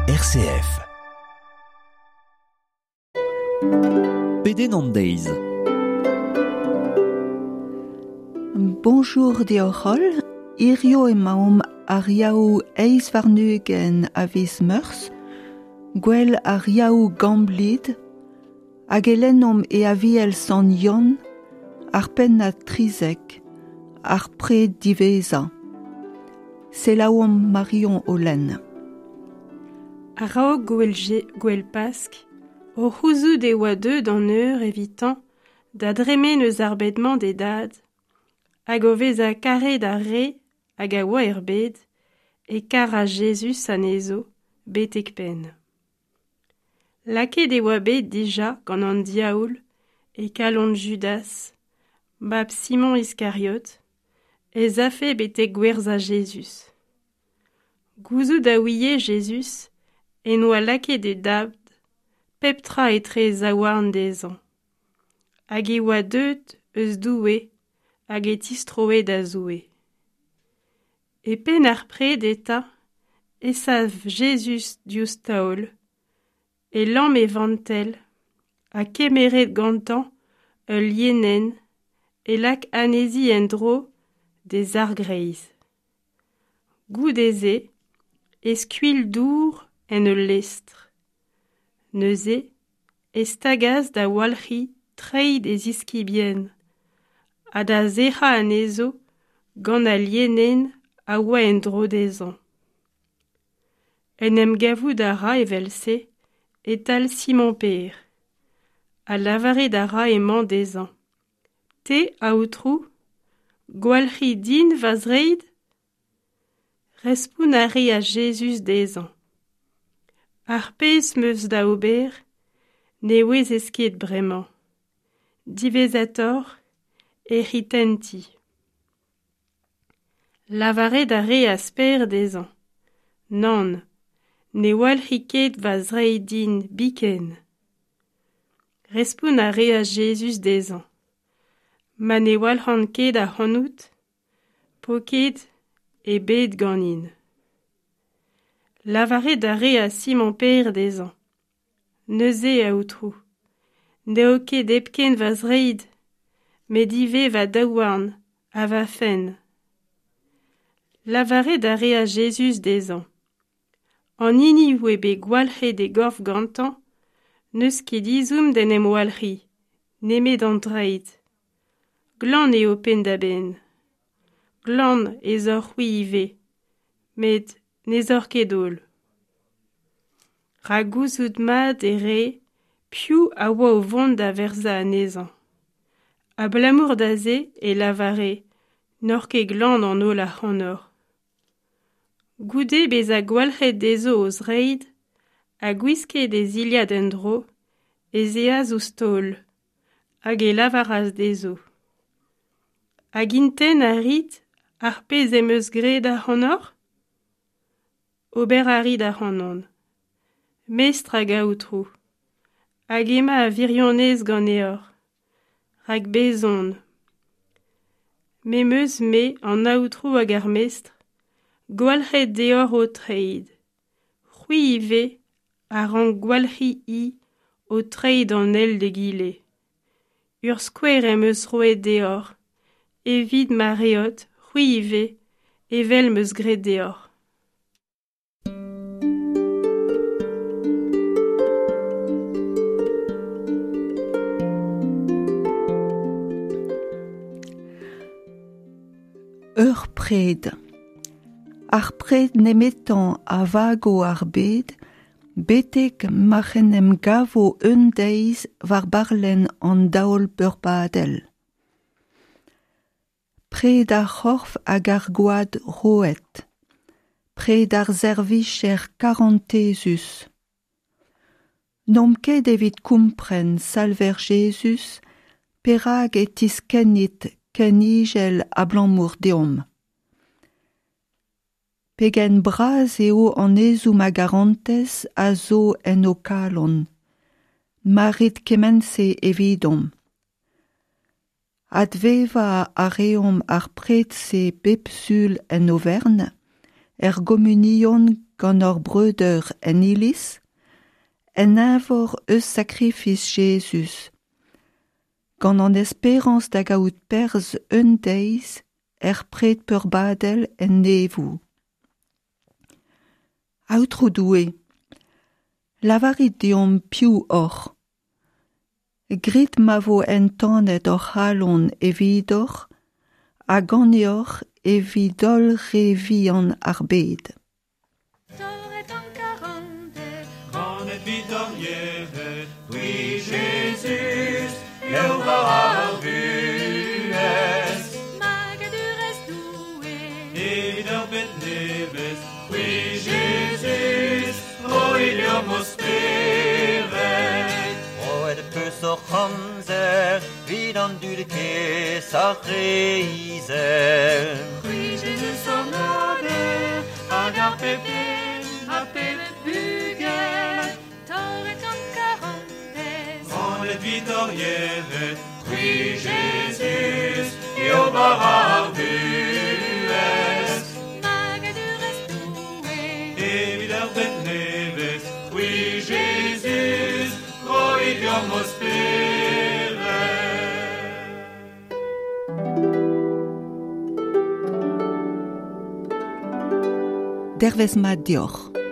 RCF. Pedenn an deiz. Bonjour deoc'h holl, hirio emaomp ar Yaou eizh warn-ugent a viz Meurzh, gwell ar Yaou Gamblid, hag e lennomp e Aviel Sant Yann, ar pennad 13, ar pred diwezhañ. Selaouomp Marion o lenn. A-raok gouel, gouel Pask, o c'houzout e oa deuet an eur evitañ da dremen eus ar bed-mañ d'e dad, hag o vezañ karet ar re hag a oa er bed, e karas Jezuz anezho betek penn. Lakaet e oa bet dija gant an diaoul e kalon Judas, mab Simon Iskariot, ez afe betek gwerzhañ Jezuz. Gouzout a ouie Jezuz en oa lakaet e dad pep tra etre e zaouarn dezhañ. Hag e oa deuet eus Doue hag e tistroe da Zoue. E penn ar pred eta e sav Jezuz diouzh taol, e lamm e vantell ha kemeret gantañ ul lienenn e lak anezhi en-dro d'e zargreiz. Goude-se e skuilh dour en ul lestr. Neuze e stagas da walc'hiñ treid e ziskibien ha da sec'hañ anezho gant al lienenn a oa en-dro dezhañ. En em gavout a ra evel-se e-tal Simon-Pêr, ha lavaret a ra emañ dezhañ. Te, Aotrou, gwalc'hiñ din va zreid ? Respont a reas Jezuz dezhañ. Ar pezh 'm eus da ober ne ouezez ket bremañ. Diwezhatoc'h e ritenti. Lavaret a reas Pêr dezhañ. Nann, ne walc'hi ket va zreid din biken. Respont a reas Jezuz dezhañ. Ma ne walc'han ket ac'hanout, po ket ebet ganin. Lavaret a reas Simon-Pêr dezhañ. Neuze, Aotrou, n'eo ket hepken va zreid, met ivez va daouarn ha va fenn. Lavaret a reas Jezuz dezhañ. An hini oa bet gwalc'het e gorf gantañ, n'eus ket ezhomm d'en em walc'hiñ, nemet an dreid. Glan eo penn-da-benn. Glan ez oc'h-c'hwi ivez, met n'ez oc'h ket holl. Rak gouzout mat e rae piv a oa o vont da werzhañ anezhañ. Abalamour da se e lavare n'oc'h ket glan an holl ac'hanoc'h. Goude bezañ gwalc'het dezho o zreid ha gwisket e zilhad en-dro, ez eas ouzh taol, hag e lavaras dezho. Hag intent a rit ar pezh em eus graet ac'hanoc'h ? Ober a rit ac'hanon. Mestr hag Aotrou. Hag emañ a wirionez ganeoc'h, rak bez' on. Me 'm eus me an Aotrou hag ar Mestr, gwalc'het deoc'h ho treid. C'hwi ivez a rank gwalc'hiñ-hi ho treid an eil d'egile. Ur skouer em eus roet deoc'h, evit ma reot, c'hwi ivez, evel 'm eus graet deoc'h. Ur pred. Ar pred nemetañ a vago ar bed betek ma'c'h en em gavo un deiz war barlenn an daol beurbadel. Pred ar c'horf hag ar gwad roet. Pred ar servijer karantezus. N'omp ket evit kompren, Salver Jezuz, perak e tiskennit ken izel abalamour deomp. Pegen bras eo an ezhomm a garantez a zo en ho kalon. Ma rit kement-se evidomp. Advevañ a reomp ar pred-se bep Sul en Overn, er gomunion gant hor breudeur en iliz, en eñvor eus sakrifis Jezuz, gant an esperañs da gaout perzh un deiz er pred peurbadel en neñvoù. Aotrou Doue, lavarit deomp piv oc'h. Grit ma vo entanet hor c'halon evidoc'h ha ganeoc'h evit holl re vihan ar bed. Torret an karantez, Ganet 'vit hor yec'hed, c'hwi Jezuz, eo war ar vuhez. Magadurezh Doue, Evit ur bed nevez, c'hwi Jezuz, roit deomp ho spered. Roet peus hoc'h amzer, 'vit an dud kaezh ar re izel. C'hwi Jezuz hon aber, hag ar pep den, ar pep bugel, torret gant karantez. Ganet 'vit hor yec'hed, c'hwi Jezuz, eo bara ar vuhez. Magadurezh Doue, Evit ar bed nevez, c'hwi Jezuz, roit deomp ho spered. Dervezh mat deoc'h.